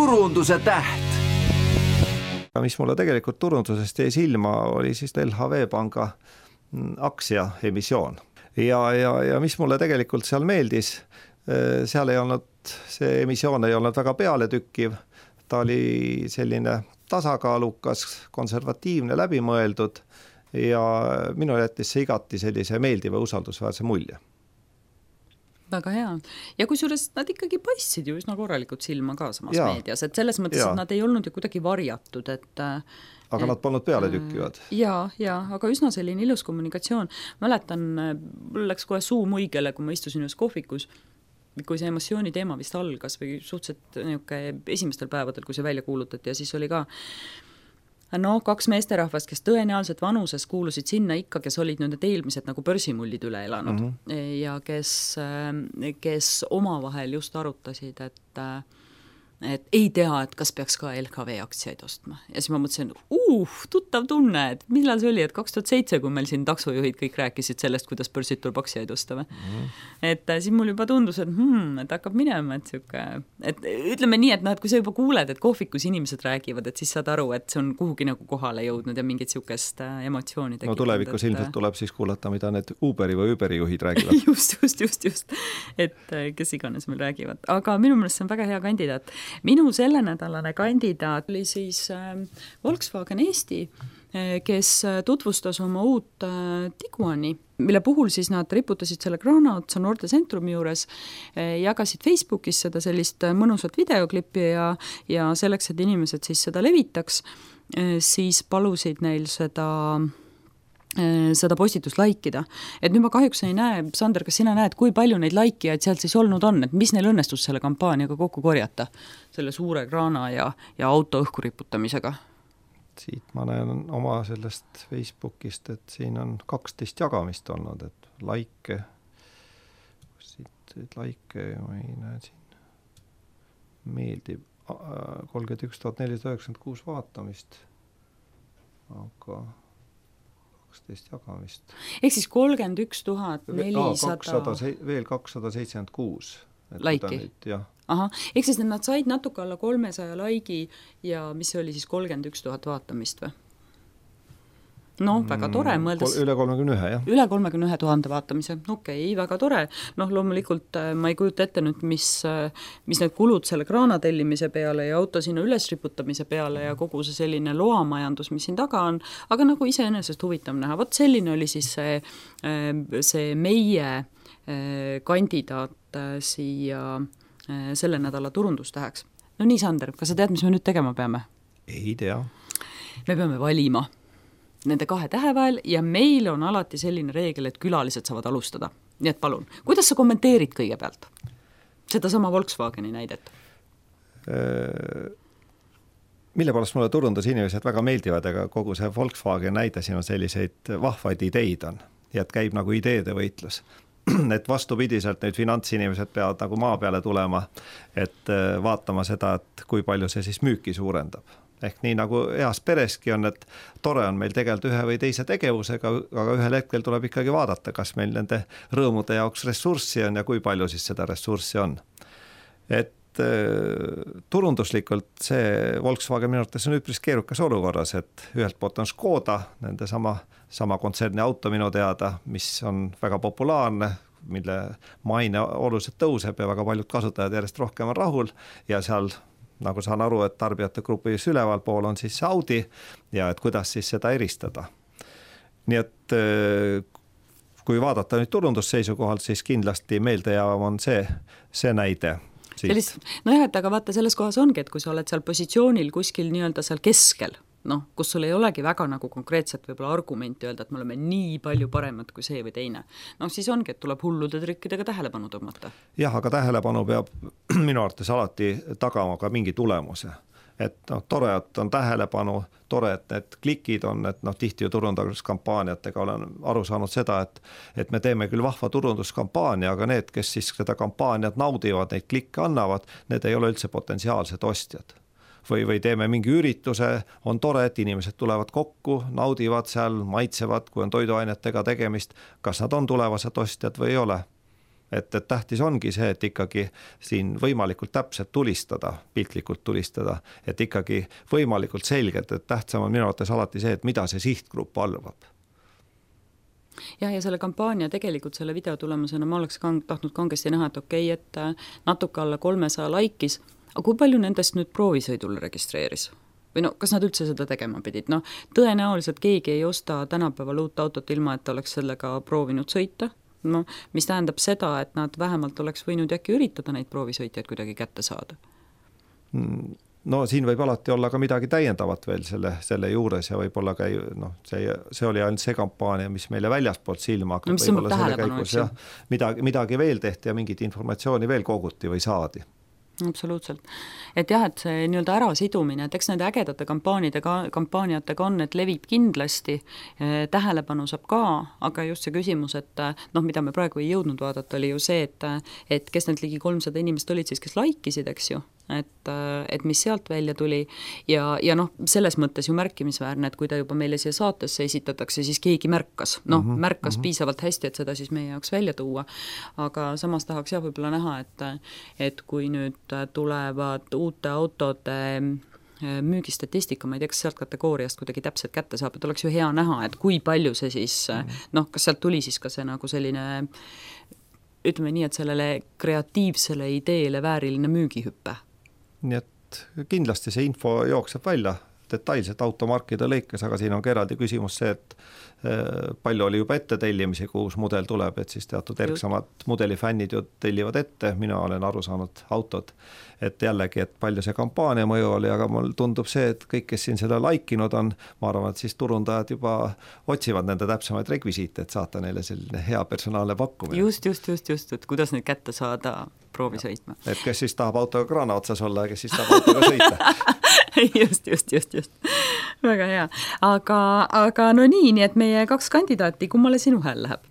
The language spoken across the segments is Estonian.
turunduse täht. Mis mulle tegelikult turundusest jäi silma, oli siis LHV panga aktsia emissioon. Ja mis mulle tegelikult seal meeldis, seal ei olnud, see emissioon ei olnud väga pealetükkiv, ta oli selline tasakaalukas, konservatiivne, läbimõeldud ja minu jättis see igati sellise meeldiva usaldusväärse mulje. Väga hea. Ja kusjuures nad ikkagi paistsid ju üsna korralikult silma ka samas meedias, et selles mõttes, et nad ei olnud ju kuidagi varjatud, aga nad polnud peale tükkivad. Ja, aga üsna selline ilus kommunikatsioon. Mäletan, mul läks kohe suu muigele, kui ma istusin ühes kohvikus, kui see emotsiooni teema vist algas või suhteliselt esimestel päevadel, kui see välja kuulutati ja siis oli ka kaks meesterahvast, kes tõenäoliselt vanuses kuulusid sinna ikka, kes olid need eelmised nagu börsimullid üle elanud ja kes omavahel just arutasid, et ei tea, et kas peaks ka LHV aktsiaid ostma. Ja siis ma mõtlesin, tuttav tunne, et millal see oli, et 2007, kui meil siin taksojuhid kõik rääkisid sellest, kuidas börsid tuleb aktsiaid osta. Et siis mul juba tundus, et hakkab minema, et ütleme nii, et kui sa juba kuuled, et kohvikus inimesed räägivad, et siis saad aru, et see on kuhugi nagu kohale jõudnud ja mingit siukest emotsiooni tekitanud. No tulevikus ilmselt tuleb siis kuulata, mida need Uberi või Uberi juhid räägivad. just. Et kes iganes meil räägivad. Aga minu meelest see on väga hea kandidaat. Minu selle nädalane kandidaat oli siis Volkswagen Eesti, kes tutvustas oma uut Tiguani, mille puhul siis nad riputasid selle kraana otsa Noorte Centrumi juures, jagasid Facebookis seda sellist mõnusat videoklippi ja selleks, et inimesed siis seda levitaks, siis palusid neil seda postitust laikida. Et nüüd ma kahjuks ei näe, Sander, kas sina näed, kui palju neid laikijaid sealt siis olnud on, et mis neil õnnestus selle kampaaniaga kokku korjata, selle suure kraana ja auto õhku riputamisega? Siit ma näen oma sellest Facebookist, et siin on 12 jagamist olnud, et laike ma ei näe siin, meeldib 31 496 vaatamist, aga 12 jagamist. Ehk siis 31 400... Veel 276. Laiki? Aha, ehk siis nad said natuke alla 300 laigi ja mis see oli siis 31 000 vaatamist või? Väga tore mõeldes. Üle 31, jah. Üle 31 000 vaatamise, väga tore. Loomulikult ma ei kujuta ette nüüd, mis need kulud selle kraana tellimise peale ja auto sinna ülesriputamise peale ja kogu see selline loamajandus, mis siin taga on, aga nagu iseenesest huvitav näha. Vot selline oli siis see meie kandidaat siia selle nädala turundustäheks. No nii, Sander, kas sa tead, mis me nüüd tegema peame? Ei tea. Me peame valima nende 2 tähe vahel ja meil on alati selline reegel, et külalised saavad alustada. Nii et palun, kuidas sa kommenteerid kõigepealt seda sama Volkswageni näidet? Mille poolest mulle turundusinimesed väga meeldivad, aga kogu see Volkswagen näide siin on selliseid vahvaid ideid on ja et käib nagu ideede võitlus. Et vastupidiselt nüüd finantsinimesed peavad nagu maa peale tulema, et vaatama seda, et kui palju see siis müüki suurendab. Ehk nii nagu heas pereski on, et tore on meil tegelikult ühe või teise tegevusega, aga ühel hetkel tuleb ikkagi vaadata, kas meil nende rõõmude jaoks ressurssi on ja kui palju siis seda ressurssi on. Et turunduslikult see Volkswagen minu arvates on üpris keerukas olukorras, et ühelt poolt on Škoda, nende sama kontserni auto minu teada, mis on väga populaarne, mille maine oluliselt tõuseb ja väga paljud kasutajad järjest rohkem on rahul ja seal, nagu saan aru, et tarbijate grupis üleval pool on siis Audi ja et kuidas siis seda eristada. Nii et kui vaadata nüüd turundusseisukohalt, siis kindlasti meeldejäävam on see näide. Et aga vaata, selles kohas ongi, et kui sa oled seal positsioonil kuskil nii-öelda seal keskel, kus sul ei olegi väga nagu konkreetselt võib-olla argumenti öelda, et me oleme nii palju paremad kui see või teine. Siis ongi, et tuleb hullude trikkidega tähelepanu tõmmata. Jah, aga tähelepanu peab minu arvates alati tagama ka mingi tulemuse. Et tore, et on tähelepanu, tore, et need klikid on, et tihti ju turunduskampaaniatega olen aru saanud seda, et me teeme küll vahva turunduskampaania, aga need, kes siis seda kampaaniat naudivad, neid klikke annavad, need ei ole üldse potentsiaalsed ostjad. Või teeme mingi ürituse, on tore, et inimesed tulevad kokku, naudivad seal, maitsevad, kui on toiduainetega tegemist, kas nad on tulevased ostjad või ei ole. et tähtis ongi see, et ikkagi siin võimalikult täpselt tulistada, piltlikult tulistada, et ikkagi võimalikult selgelt, et tähtsam on minu arvates alati see, et mida see sihtgrupp valvab. Ja selle kampaania tegelikult selle video tulemusena ma oleks tahtnud kangesti näha, et okei, et natuke alla 300 laikis, aga kui palju nendest nüüd proovisõidul registreeris? Või no, kas nad üldse seda tegema pidid? No, tõenäoliselt keegi ei osta tänapäeval uut autot ilma, et oleks sellega proovinud sõita, no, mis tähendab seda, et nad vähemalt oleks võinud äkki üritada neid proovisõitjaid kuidagi kätte saada. No siin võib alati olla ka midagi täiendavat veel selle juures ja võib-olla ka see oli ainult see kampaania, mis meile väljaspoolt silma hakkab. No, mis võib-olla tähelepanu, eks ju? Midagi veel tehti ja mingit informatsiooni veel koguti või saadi. Absoluutselt. Et jah, et see nii-öelda ärasidumine, et eks nende ägedate kampaaniatega on, et levib kindlasti, tähelepanu saab ka, aga just see küsimus, et mida me praegu ei jõudnud vaadata, oli ju see, et kes need ligi 300 inimest olid siis, kes laikisid, eks ju, et mis sealt välja tuli ja selles mõttes ju märkimisväärne, et kui ta juba meile siia saatesse esitatakse, siis keegi märkas, märkas piisavalt hästi, et seda siis meie jaoks välja tuua, aga samas tahaks jah võib-olla näha, et kui nüüd tulevad uute autode müügistatistika, ma ei tea, kas sealt kategooriast kuidagi täpselt kätte saab, et oleks ju hea näha, et kui palju see siis, kas sealt tuli siis ka see nagu selline ütleme nii, et sellele kreatiivsele ideele vääriline müügihüppe. Nii et kindlasti see info jookseb välja detailselt automarkide lõikes, aga siin on ka eraldi küsimus see, et palju oli juba ette tellimisi, kui uus mudel tuleb, et siis teatud erksamad mudelifännid ju tellivad ette, mina olen aru saanud autod, et jällegi, et palju see kampaania mõju oli, aga mul tundub see, et kõik, kes siin seda laikinud on, ma arvan, et siis turundajad juba otsivad nende täpsemaid rekvisiite, et saata neile selline hea personaalne pakkumine. Just, et kuidas neid kätte saada proovi sõitma. Et kes siis tahab autoga kraana otsas olla ja kes siis tahab autoga sõita. just. Väga hea. Aga no nii, et meie 2 kandidaati, kummale sinu hääl läheb?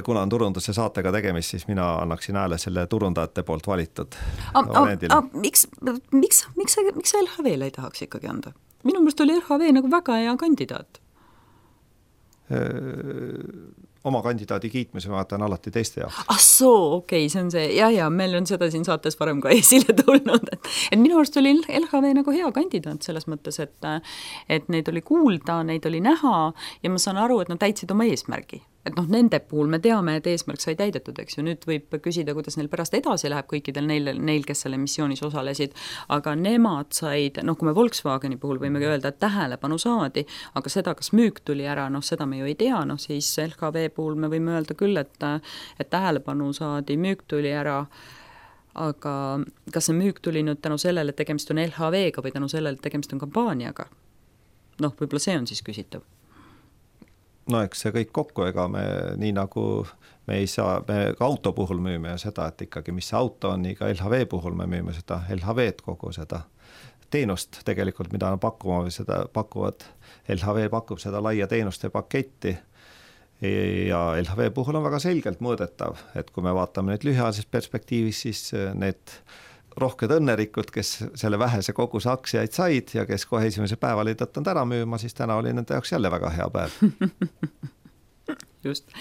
Kuna on turunduse saatega tegemist, siis mina annaksin hääle selle turundajate poolt valitud. Miks sa LHV-le ei tahaks ikkagi anda? Minu meelest oli LHV nagu väga hea kandidaat. Oma kandidaadi kiitmise ma vaatan alati teiste jaoks. Okei, see on see, ja meil on seda siin saates varem ka esile tulnud, et minu arust oli LHV nagu hea kandidaat selles mõttes, et neid oli kuulda, neid oli näha ja ma saan aru, et nad täitsid oma eesmärgi. Et nende puhul me teame, et eesmärk sai täidetud, eks ju, nüüd võib küsida, kuidas neil pärast edasi läheb kõikidel neil, kes selle missioonis osalesid, aga nemad said, kui me Volkswageni puhul võime öelda, et tähelepanu saadi, aga seda, kas müük tuli ära, seda me ju ei tea, siis LHV puhul me võime öelda küll, et tähelepanu saadi, müük tuli ära, aga kas see müük tuli nüüd tänu sellele, et tegemist on LHV-ga või tänu sellele, et tegemist on kampaaniaga? Võib-olla see on siis küsitav. Eks see kõik kokku, ega me nii nagu me ei saa, me ka auto puhul müüme seda, et ikkagi mis see auto on, nii ka LHV puhul me müüme seda LHV-d kogu seda teenust tegelikult, mida pakkuma või seda pakuvad, LHV pakub seda laia teenuste paketti ja LHV puhul on väga selgelt mõõdetav, et kui me vaatame nüüd lühiajalises perspektiivis, siis need rohked õnnerikud, kes selle vähese koguse aktsiaid said ja kes kohe esimese päeval ei tõtanud ära müüma, siis täna oli nende jaoks jälle väga hea päev. Just.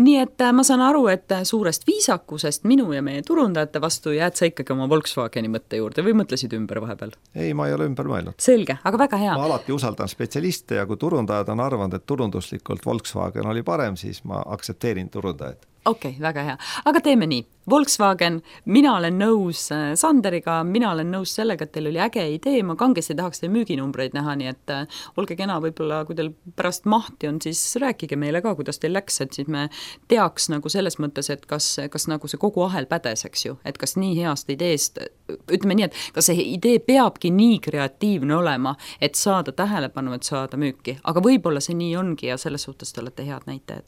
Nii et ma saan aru, et suurest viisakusest minu ja meie turundajate vastu jääd sa ikkagi oma Volkswageni mõtte juurde või mõtlesid ümber vahepeal? Ei, ma ei ole ümber mõelnud. Selge, aga väga hea. Ma alati usaldan spetsialiste ja kui turundajad on arvanud, et turunduslikult Volkswagen oli parem, siis ma aksepteerin turundajad. Okei, väga hea. Aga teeme nii. Volkswagen, mina olen nõus Sanderiga, mina olen nõus sellega, et teil oli äge idee, ma kangesti tahaks teie müüginumbreid näha, nii et olge kena, võib-olla kui teil pärast mahti on, siis rääkige meile ka, kuidas teil läks, et siis me teaks nagu selles mõttes, et kas nagu see kogu ahel pädes, eks ju, et kas nii heast ideest, ütleme nii, et kas see idee peabki nii kreatiivne olema, et saada tähelepanu, et saada müüki, aga võib-olla see nii ongi ja selles suhtes te olete head näitajad.